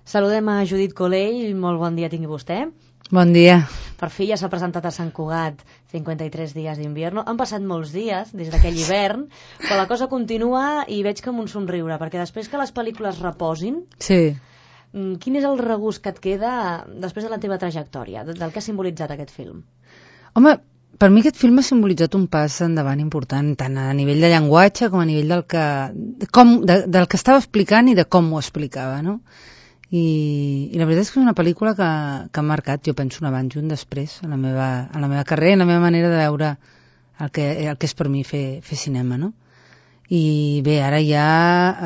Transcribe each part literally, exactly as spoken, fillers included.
Saludem a Judit Colell, molt bon dia tingui vostè. Bon dia. Per fi ja s'ha presentat a Sant Cugat cinquanta-tres dies d'invierno. Han passat molts dies des d'aquell hivern, però la cosa continua i veig que amb un somriure, perquè després que les pel·lícules reposin, sí. Quin és el regust que et queda després de la teva trajectòria, del que ha simbolitzat aquest film? Home, per mi aquest film ha simbolitzat un pas endavant important, tant a nivell de llenguatge com a nivell del que, com, de, del que estava explicant i de com ho explicava, no? I, i la veritat és que és una pel·lícula que, que ha marcat, jo penso, un abans i un després en la meva, en la meva carrera, en la meva manera de veure el que, el que és per mi fer, fer cinema, no? I bé, ara ja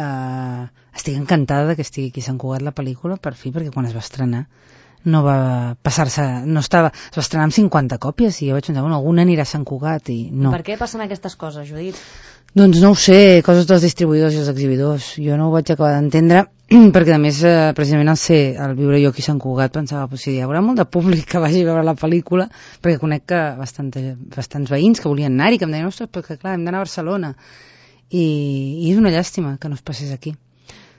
eh, estic encantada que estigui aquí a Sant Cugat la pel·lícula, per fi, perquè quan es va estrenar no va passar-se, no estava, es va estrenar amb cinquanta còpies i jo vaig pensar, bueno, alguna anirà a Sant Cugat i no. Per què passen aquestes coses, Judit? Doncs no ho sé, coses dels distribuïdors i els exhibidors. Jo no ho vaig acabar d'entendre, perquè a més, eh, precisament al ser, al viure jo aquí a Sant Cugat, pensava, pues, sí, hi haurà molt de públic que vagi a veure la pel·lícula, perquè conec que bastanta, bastants veïns que volien anar-hi, que em deien, ostres, perquè clar, hem d'anar a Barcelona. I, i és una llàstima que no es passés aquí.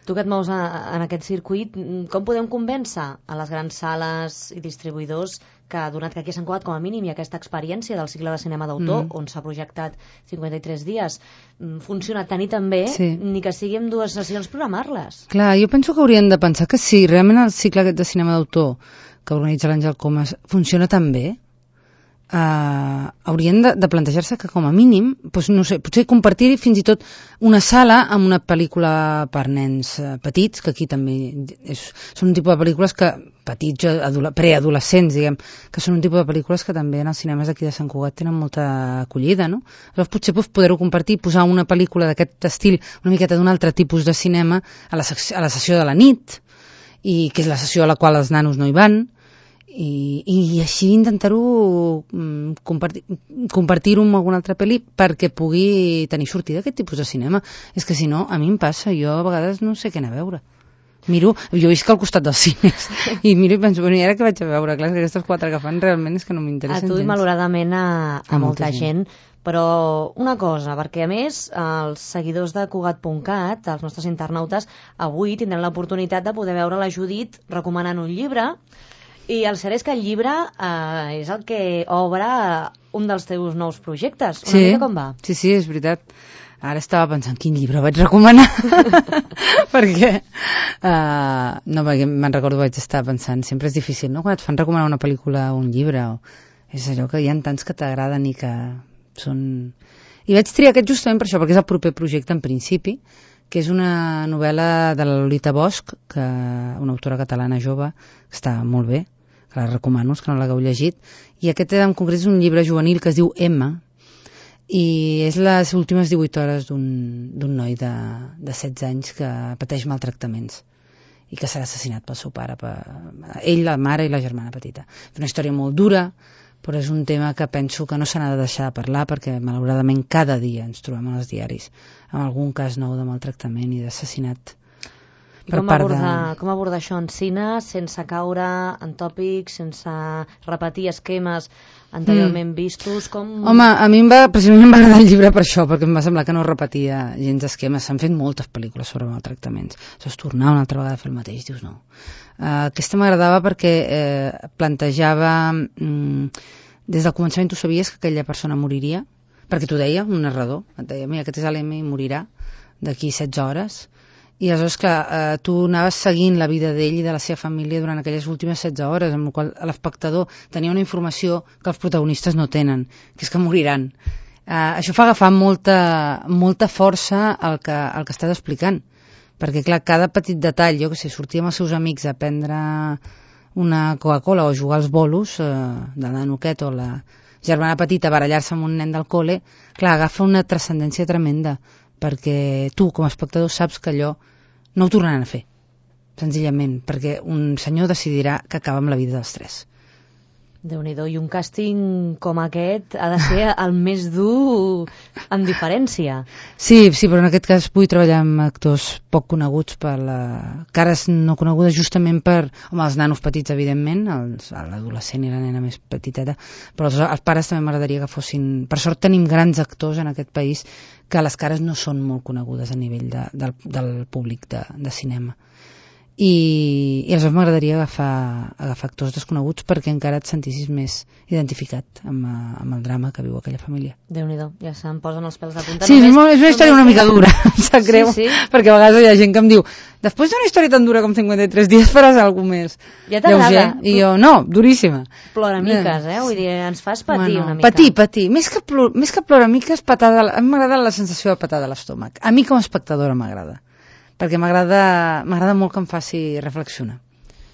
Tu que et mous a, en aquest circuit, com podem convèncer a les grans sales i distribuïdors que, donat que aquí a Sant Cugat, com a mínim, hi ha aquesta experiència del cicle de cinema d'autor, mm. on s'ha projectat cinquanta-tres dies, funciona tant i també, sí. Ni que sigui en dues sessions programar-les. Clar, jo penso que haurien de pensar que sí, realment el cicle aquest de cinema d'autor que organitza l'Àngel Comas funciona tan bé, Uh, haurien de, de plantejar-se que com a mínim, doncs, no sé, potser compartir fins i tot una sala amb una pel·lícula per nens uh, petits, que aquí també és, són un tipus de pel·lícules que, petits, preadolescents, diguem, que són un tipus de pel·lícules que també en els cinemes d'aquí de Sant Cugat tenen molta acollida, no? Llavors potser doncs, poder-ho compartir, posar una pel·lícula d'aquest estil, una miqueta d'un altre tipus de cinema a la, a la sessió de la nit, i que és la sessió a la qual els nanos no hi van, I, i així intentar-ho um, compartir, compartir-ho amb alguna altra pel·li perquè pugui tenir sortida aquest tipus de cinema. És que si no, a mi em passa, jo a vegades no sé què anar a veure. Miro, jo visc al costat dels cines i miro i penso, bueno, i ara què vaig a veure? Clar, que aquestes quatre que fan realment és que no m'interessen gens. A tu i malauradament a, a, a molta, molta gent. gent. Però una cosa, perquè a més els seguidors de Cugat punt cat, els nostres internautes, avui tindran l'oportunitat de poder veure la Judit recomanant un llibre. I el cert és que el llibre eh, és el que obre un dels teus nous projectes. Una sí, mica com va? Sí, sí, és veritat. Ara estava pensant quin llibre vaig recomanar. perquè, uh, no, perquè me'n recordo vaig estar pensant, sempre és difícil, no?, quan et fan recomanar una pel·lícula o un llibre, o... és allò que hi ha tants que t'agraden i que són... I vaig triar aquest justament per això, perquè és el proper projecte en principi, que és una novel·la de la Lolita Bosch, que, una autora catalana jove, que està molt bé, que la recomano, que no l'hagueu llegit, i aquest en concret és un llibre juvenil que es diu Emma, i és les últimes divuit hores d'un noi de, de setze anys que pateix maltractaments i que serà assassinat pel seu pare, per, ell, la mare i la germana petita. És una història molt dura, però és un tema que penso que no s'ha de deixar de parlar perquè malauradament cada dia ens trobem en els diaris amb algun cas nou de maltractament i d'assassinat. Com abordar, de... com abordar això en cine sense caure en tòpics, sense repetir esquemes anteriorment mm. vistos? Com... Home, a mi em va, precisament em va agradar el llibre per això, perquè em va semblar que no repetia gens esquemes. S'han fet moltes pel·lícules sobre maltractaments. Això és tornar una altra vegada a fer el mateix, dius no. Uh, aquesta m'agradava perquè eh, plantejava mm, des del començament tu sabies que aquella persona moriria, perquè t'ho deia un narrador, et deia, mira, aquest és l'M i morirà d'aquí setze hores. I aleshores, clar, eh, tu anaves seguint la vida d'ell i de la seva família durant aquelles últimes setze hores, amb la qual l'espectador tenia una informació que els protagonistes no tenen, que és que moriran. Eh, això fa agafar molta, molta força al que, al que estàs explicant, perquè, clar, cada petit detall, jo que sé, sortir amb els seus amics a prendre una Coca-Cola o jugar als bolos eh, de la noqueta o la germana petita a barallar-se amb un nen del col·le, clar, agafa una transcendència tremenda, perquè tu, com a espectador, saps que allò no ho tornaran a fer, senzillament, perquè un senyor decidirà que acaba amb la vida dels tres. Déu-n'hi-do, i un càsting com aquest ha de ser el més dur amb diferència. Sí, sí, però en aquest cas vull treballar amb actors poc coneguts per la... cares no conegudes justament per... Home, els nanos petits, evidentment, els, l'adolescent i la nena més petiteta, però els, els pares també m'agradaria que fossin... Per sort tenim grans actors en aquest país que les cares no són molt conegudes a nivell de, del, del públic de, de cinema. i, i aleshores m'agradaria agafar, agafar actors desconeguts perquè encara et sentissis més identificat amb, amb el drama que viu aquella família. Déu-n'hi-do, ja se'm posen els pèls de punta. Sí, només, és una història una mica dura, em sap greu, sí, sí. perquè a vegades hi ha gent que em diu després d'una història tan dura com cinquanta-tres dies faràs alguna més ja t'agrada. I jo, no, duríssima. Ploramiques, eh? Vull dir, ens fas patir bueno, una mica. Patir, patir. Més que, plor, més que ploramiques, patada, a mi m'agrada la sensació de patada a l'estómac. A mi com a espectadora m'agrada. Perquè m'agrada m'agrada molt que em faci reflexionar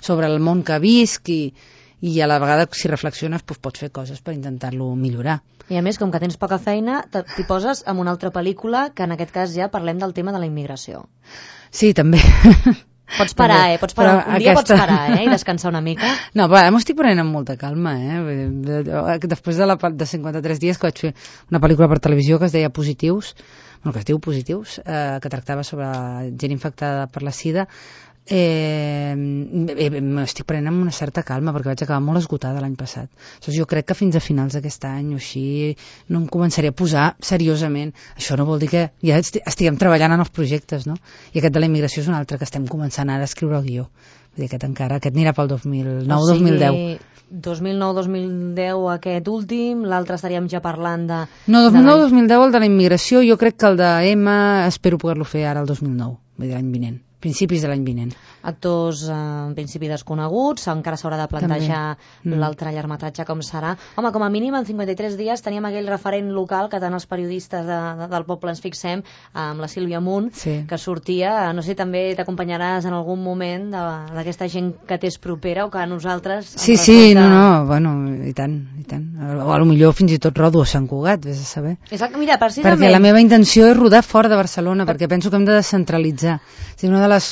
sobre el món que visc i, i a la vegada si reflexiones doncs pots fer coses per intentar-lo millorar. I a més, com que tens poca feina, t'hi poses en una altra pel·lícula que en aquest cas ja parlem del tema de la immigració. Sí, també. Pots parar, eh? Pots parar. Un dia aquesta... pots parar, eh? I descansar una mica. No, però m'ho estic prenent amb molta calma, eh? Després de, la, de cinquanta-tres dies que vaig fer una pel·lícula per televisió que es deia Positius, bueno, que es diu Positius, eh, que tractava sobre gent infectada per la sida, eh, m'estic prenent amb una certa calma perquè vaig acabar molt esgotada l'any passat. Llavors, jo crec que fins a finals d'aquest any o així no em començaré a posar seriosament. Això no vol dir que ja estiguem treballant en els projectes, no? I aquest de la immigració és un altre que estem començant ara a escriure el guió. Vull dir, aquest encara, aquest anirà pel dos mil nou dos mil deu. O sigui, dos mil nou dos mil deu aquest últim, l'altre estaríem ja parlant de... No, dos mil nou dos mil deu el de la immigració, jo crec que el de Emma espero poder-lo fer ara el dos mil nou, vull dir, l'any vinent. Principis de l'any vinent. Actors eh, en principi desconeguts, encara s'haurà de plantejar mm. l'altre llargmetratge com serà. Home, com a mínim en cinquanta-tres dies teníem aquell referent local que tant els periodistes de, de, del poble ens fixem, amb la Sílvia Munt, sí. que sortia, no sé, també t'acompanyaràs en algun moment d'aquesta gent que t'és propera o que a nosaltres... Sí, sí, resulta... no, no, bueno, i tant, i tant. O a lo millor fins i tot rodo a Sant Cugat, vés a saber. Exacte, mira, precisament... Perquè la meva intenció és rodar fora de Barcelona, per... perquè penso que hem de descentralitzar. O sigui, una de les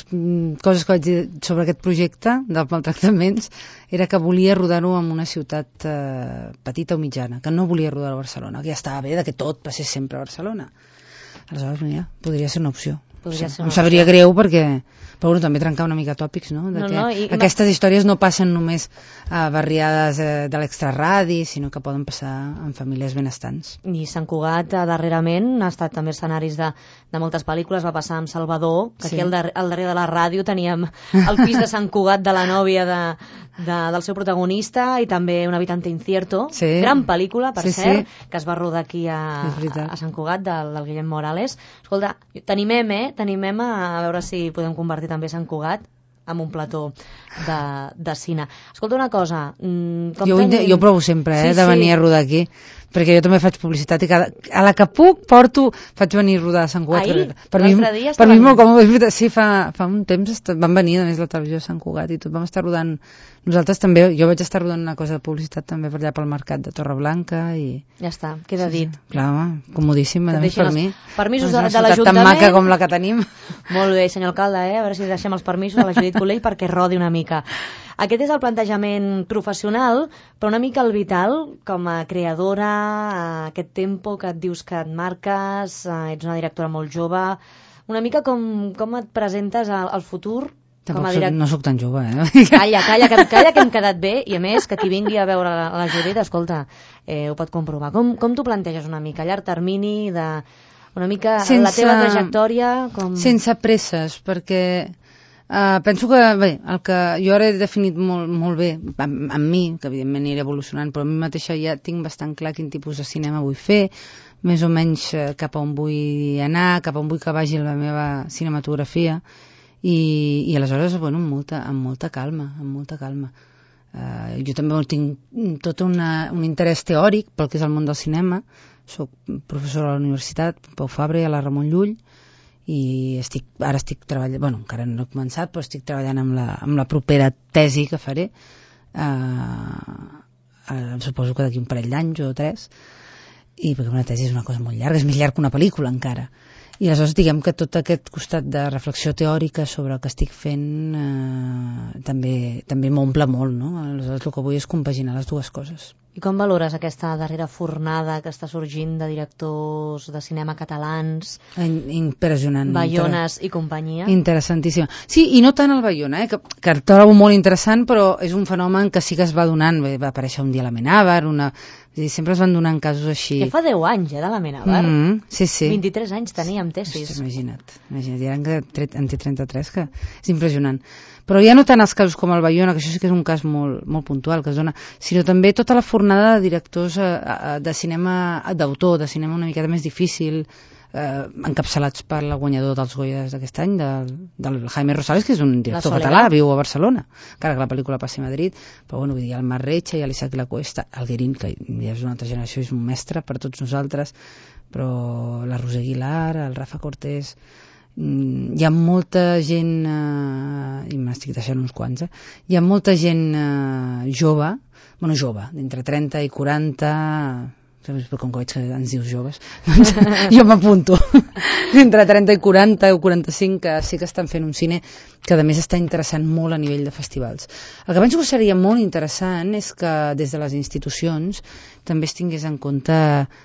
coses que vaig dir sobre aquest projecte dels maltractaments era que volia rodar-ho en una ciutat eh, petita o mitjana, que no volia rodar a Barcelona, que ja estava bé de que tot passés sempre a Barcelona. Aleshores, mira, podria ser una opció. Podria ser una em sabria opció. Greu perquè, però bueno, també trencar una mica tòpics, no? De no, que no i, aquestes històries no passen només a barriades eh, de l'extraradi, sinó que poden passar en famílies benestants. I Sant Cugat, eh, darrerament, ha estat també escenaris de, de moltes pel·lícules, va passar amb Salvador, que sí. Aquí al, dar al darrere de la ràdio teníem el pis de Sant Cugat de la nòvia de, de, del seu protagonista i també Un habitante incierto, sí. Gran pel·lícula, per sí, cert, sí. que es va rodar aquí a, a, a Sant Cugat, del, del Guillem Morales. Escolta, t'animem, eh? T'animem a, a veure si podem convertir també Sant Cugat amb un plató de, de cine. Escolta una cosa... Com jo, tenim... jo provo sempre eh, sí, de venir sí. a rodar aquí, perquè jo també faig publicitat i cada, a la que puc porto, faig venir a rodar a Sant Cugat. Ahir, per mi, dia per mi molt còmode. Sí, fa, fa un temps van venir a més la televisió a Sant Cugat i tot, vam estar rodant nosaltres també, jo vaig estar rodant una cosa de publicitat també per allà pel mercat de Torreblanca i... Ja està, queda dit. Sí, clar, home, comodíssim, a més per mi. Permisos de, de l'Ajuntament. Tan maca com la que tenim. Molt bé, senyor alcalde, eh? A veure si deixem els permisos a la Judit Colell perquè rodi una mica. Aquest és el plantejament professional, però una mica el vital, com a creadora, aquest tempo que et dius que et marques, ets una directora molt jove, una mica com, com et presentes al, al futur. Tampoc soc, no sóc tan jove, eh? Calla, calla, que, calla, que hem quedat bé, i a més, que qui vingui a veure la, la Judit, escolta, eh, ho pot comprovar. Com, com t'ho planteges una mica? A llarg termini, de, una mica sense, la teva trajectòria? Com... Sense presses, perquè uh, penso que, bé, el que jo ara he definit molt, molt bé, amb, amb mi, que evidentment aniré evolucionant, però a mi mateixa ja tinc bastant clar quin tipus de cinema vull fer, més o menys uh, cap on vull anar, cap on vull que vagi la meva cinematografia, I, i aleshores, bueno, amb molta, amb molta calma, amb molta calma. Uh, jo també tinc tot una, un interès teòric pel que és el món del cinema. Soc professora a la universitat, Pau Fabra i a la Ramon Llull, i estic, ara estic treballant, bueno, encara no he començat, però estic treballant amb la, amb la propera tesi que faré. Uh, uh, suposo que d'aquí un parell d'anys o tres, i perquè una tesi és una cosa molt llarga, és més llarg que una pel·lícula encara. I aleshores diguem que tot aquest costat de reflexió teòrica sobre el que estic fent eh, també, també m'omple molt, no? Aleshores el que vull és compaginar les dues coses. I com valores aquesta darrera fornada que està sorgint de directors de cinema catalans? Impressionant. Baiones i companyia? Interessantíssima. Sí, i no tant el Baiona, eh, que, que el trobo molt interessant, però és un fenomen que sí que es va donant. Va aparèixer un dia a la Menàvar, una... sempre es van donant casos així. Ja fa deu anys, eh, de la Menàvar. Mm -hmm, sí, sí. vint-i-tres anys tenia amb tesis. Hosti, imagina't, imagina't, ja en té trenta-tres, que és impressionant. Però ja no tant els casos com el Bayona, que això sí que és un cas molt, molt puntual que es dona, sinó també tota la fornada de directors eh, de cinema d'autor, de cinema una miqueta més difícil, eh, encapçalats per el guanyador dels Goyas d'aquest any, del, del Jaime Rosales, que és un director català, viu a Barcelona, encara que la pel·lícula passi a Madrid, però bueno, vull dir, el Marc Recha i l'Isaac Lacuesta, el Guerín, que ja és una altra generació, és un mestre per tots nosaltres, però la Roser Aguilar, el Rafa Cortés, hi ha molta gent, eh, i m'estic deixant uns quants, eh? hi ha molta gent eh, jove, bueno, jove, d'entre trenta i quaranta, però com que veig que ens dius joves, doncs jo m'apunto. Entre trenta i quaranta o quaranta-cinc, que sí que estan fent un cine que a més està interessant molt a nivell de festivals. El que penso que seria molt interessant és que des de les institucions també es tingués en compte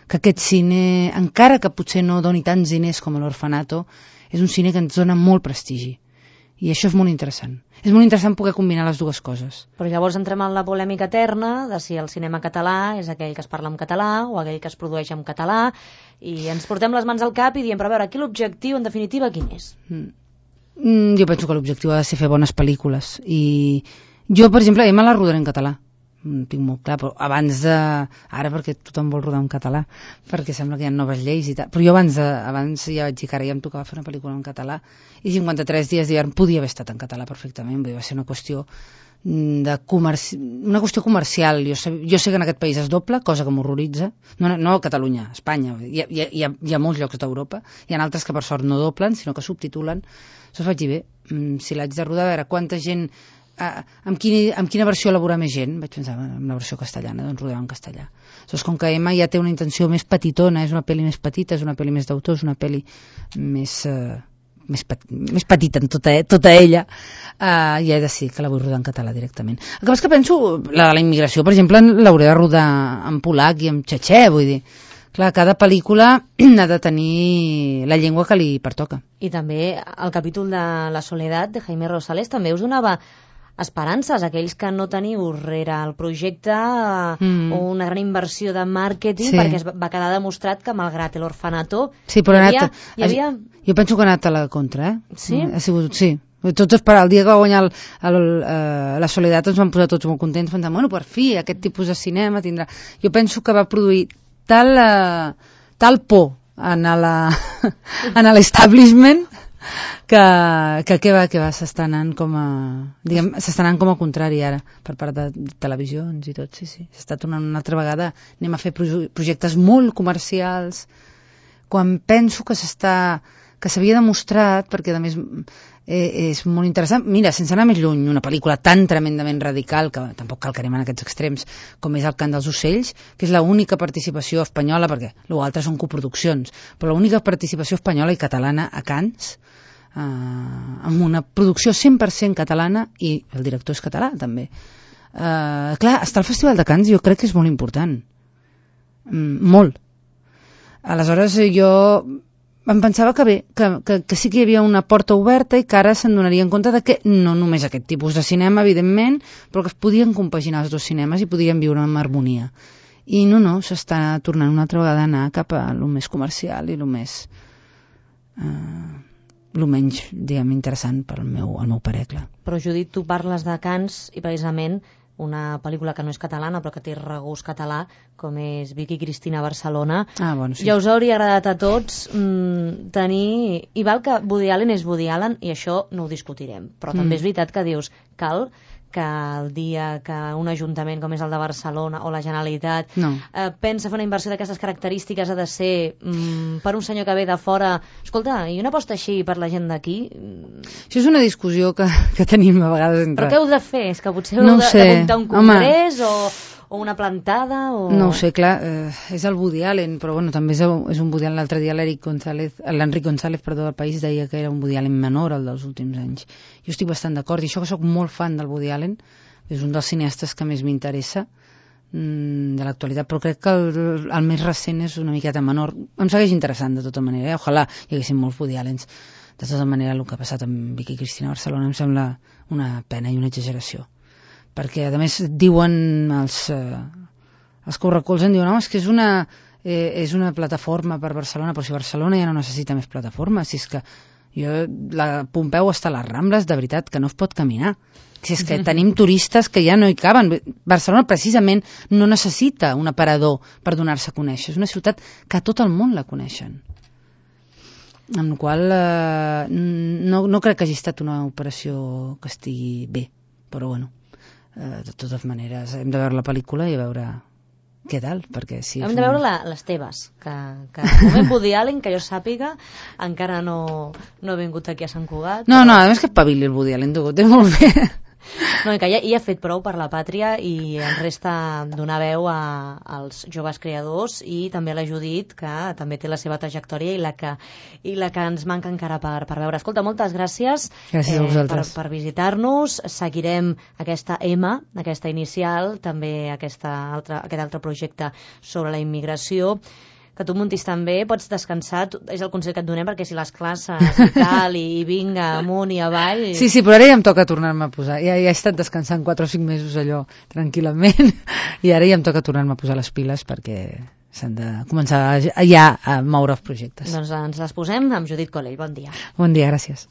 que aquest cine, encara que potser no doni tants diners com l'Orfanato, és un cine que ens dona molt prestigi. I això és molt interessant. És molt interessant poder combinar les dues coses. Però llavors entrem en la polèmica eterna de si el cinema català és aquell que es parla en català o aquell que es produeix en català, i ens portem les mans al cap i diem, però a veure, aquí l'objectiu en definitiva quin és? Mm, jo penso que l'objectiu ha de ser fer bones pel·lícules. I jo, per exemple, ja me la rodaré en català. No tinc molt clar, però abans de... Ara perquè tothom vol rodar en català, perquè sembla que hi ha noves lleis i tal, però jo abans, de, abans ja vaig dir que ara ja em tocava fer una pel·lícula en català, i cinquanta-tres dies d'hivern podia haver estat en català perfectament, va ser una qüestió de comerci... una qüestió comercial. Jo sé, jo sé que en aquest país es doble, cosa que m'horroritza, no, no a Catalunya, a Espanya, hi ha, hi, ha, hi, ha, hi ha molts llocs d'Europa, hi ha altres que per sort no doblen, sinó que subtitulen. Això vaig dir, bé, si l'haig de rodar, a veure quanta gent... Uh, amb, quin, amb quina versió elaborar més gent? Vaig pensar, amb la versió castellana, doncs rodar en castellà. Llavors, com que Emma ja té una intenció més petitona, és una pel·li més petita, és una pel·li més d'autor, és una pel·li més, uh, més, pet, més petita en tota, tota ella, uh, ja he decidit que la vull rodar en català directament. El que passa que penso, la de la immigració, per exemple, l'hauré de rodar en polac i en txetxè, vull dir. Clar, cada pel·lícula ha de tenir la llengua que li pertoca. I també el capítol de La Soledat de Jaime Rosales també us donava esperances, aquells que no teniu rere el projecte mm. una gran inversió de màrqueting, sí. perquè es va quedar demostrat que malgrat l'Orfanato sí, però hi havia, anat, hi havia... Jo penso que ha anat a la contra, eh? Sí? Ha sigut, sí. Tots esperar, el dia que va guanyar el, el, uh, La Soledat ens van posar tots molt contents, pensant, bueno, per fi, aquest tipus de cinema tindrà... Jo penso que va produir tal, uh, tal por en l'establishment que, que què va, què va, s'està anant com a diguem, s'està anant com a contrari ara per part de televisions i tot, sí, sí s'està tornant una altra vegada, anem a fer projectes molt comercials quan penso que s'està que s'havia demostrat, perquè a més eh, és molt interessant, mira, sense anar més lluny, una pel·lícula tan tremendament radical que tampoc cal que anem en aquests extrems com és El cant dels ocells, que és l'única participació espanyola, perquè l'altre són coproduccions, però l'única participació espanyola i catalana a Cannes, Uh, amb una producció cent per cent catalana, i el director és català també. Uh, clar, estar al Festival de Cannes jo crec que és molt important, mm, molt. Aleshores jo em pensava que bé, que, que, que sí que hi havia una porta oberta i que ara se'n donaria en compte de que no només aquest tipus de cinema, evidentment, però que es podien compaginar els dos cinemes i podien viure en harmonia. I no, no, s'està tornant una altra vegada a anar cap a lo més comercial i lo més... Uh, el menys, diguem, interessant per al meu, el meu parer, clar. Però, Judit, tu parles de Cannes i precisament una pel·lícula que no és catalana però que té regust català, com és Vicky Cristina Barcelona. Ah, bueno, sí. Ja us hauria agradat a tots mmm, tenir... I val que Woody Allen és Woody Allen i això no ho discutirem, però mm. també és veritat que dius, cal que el dia que un ajuntament com és el de Barcelona o la Generalitat no. eh, pensa fer una inversió d'aquestes característiques ha de ser mm, per un senyor que ve de fora, escolta, i una aposta així per la gent d'aquí? Això és una discussió que, que tenim a vegades entre... Però què heu de fer? És que potser no heu de, de muntar un congrés o, o una plantada? O... No ho sé, clar, eh, és el Woody Allen, però bueno, també és, és un Woody Allen. L'altre dia l'Eric González, l'Enric González, perdó, del País, deia que era un Woody Allen menor, el dels últims anys. Jo estic bastant d'acord, i això que sóc molt fan del Woody Allen, és un dels cineastes que més m'interessa mmm, de l'actualitat, però crec que el, el més recent és una miqueta menor. Em segueix interessant, de tota manera, eh? Ojalà hi haguessin molts Woody Allens. De tota manera, el que ha passat amb Vicky Cristina Barcelona em sembla una pena i una exageració. Perquè, a més, diuen els, eh, els que ho recolzen, diuen, no, és que és una, eh, és una plataforma per Barcelona, però si Barcelona ja no necessita més plataforma, si és que Jo, la Pompeu està a les Rambles, de veritat, que no es pot caminar. Si és que tenim turistes que ja no hi caben. Barcelona, precisament, no necessita un aparador per donar-se a conèixer. És una ciutat que a tot el món la coneixen. Amb la qual eh, no, no crec que hagi estat una operació que estigui bé. Però, bueno, eh, de totes maneres, hem de veure la pel·lícula i a veure què tal, perquè si... Hem de veure la, les teves, que, que el moment Woody Allen, que jo sàpiga, encara no, no ha vingut aquí a Sant Cugat. No, però... no, a més que pavili el Woody Allen, tu, ho té molt bé. No, que ja, ja ha fet prou per la pàtria i ens resta donar veu a, als joves creadors i també a la Judit, que també té la seva trajectòria i la que, i la que ens manca encara per, per veure. Escolta, moltes gràcies, gràcies a vosaltres. per, per visitar-nos. Seguirem aquesta M, aquesta inicial, també aquesta altra, aquest altre projecte sobre la immigració. Que tu muntis també, pots descansar, és el consell que et donem, perquè si les classes i tal, i, i vinga, amunt i avall... Sí, sí, però ara ja em toca tornar-me a posar. Ja, ja he estat descansant quatre o cinc mesos allò, tranquil·lament, i ara ja em toca tornar-me a posar les piles perquè s'han de començar ja a moure els projectes. Doncs ens les posem amb Judit Collell. Bon dia. Bon dia, gràcies.